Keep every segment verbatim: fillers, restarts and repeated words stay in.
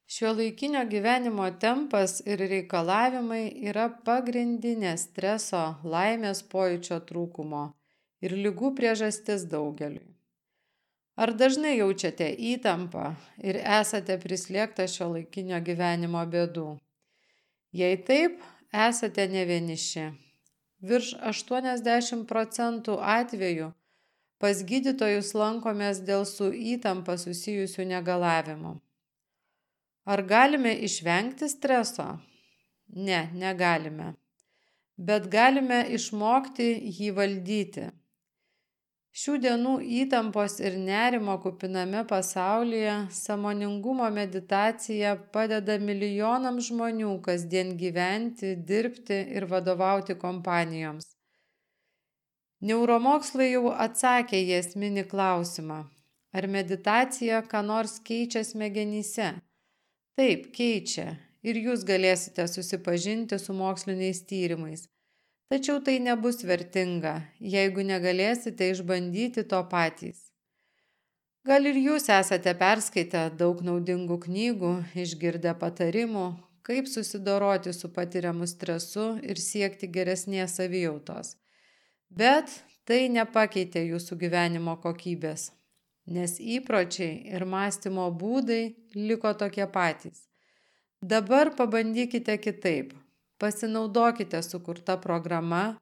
Šiuolaikinio gyvenimo tempas ir reikalavimai yra pagrindinė streso, laimės pojūčio trūkumo ir ligų priežastis daugeliui. Ar dažnai jaučiate įtampą ir esate prislėgtas šiuolaikinio gyvenimo bėdų? Jei taip, esate ne vieniši. Virš aštuoniasdešimt procentų atvejų pas gydytojus lankomės dėl su įtampa susijusių negalavimų. Ar galime išvengti streso? Ne, negalime. Bet galime išmokti jį valdyti. Šių dienų įtampos ir nerimo kupiname pasaulyje sąmoningumo meditacija padeda milijonams žmonių kasdien gyventi, dirbti ir vadovauti kompanijoms. Neuromokslai jau atsakė į esminį klausimą, ar meditacija ką nors keičia smegenyse. Taip, keičia ir jūs galėsite susipažinti su moksliniais tyrimais. Tačiau tai nebus vertinga, jeigu negalėsite išbandyti to patys. Gal ir jūs esate perskaitę daug naudingų knygų, išgirdę patarimų, kaip susidoroti su patiriamu stresu ir siekti geresnės savijautos. Bet tai nepakeitė jūsų gyvenimo kokybės, nes įpročiai ir mąstymo būdai liko tokie patys. Dabar pabandykite kitaip, pasinaudokite sukurta programa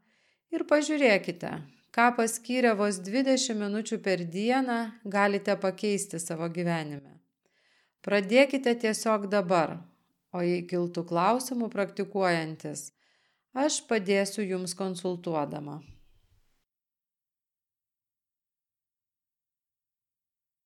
ir pažiūrėkite, ką paskyrę vos dvidešimt minučių per dieną galite pakeisti savo gyvenime. Pradėkite tiesiog dabar, o jei kiltų klausimų praktikuojantis, aš padėsiu jums konsultuodama.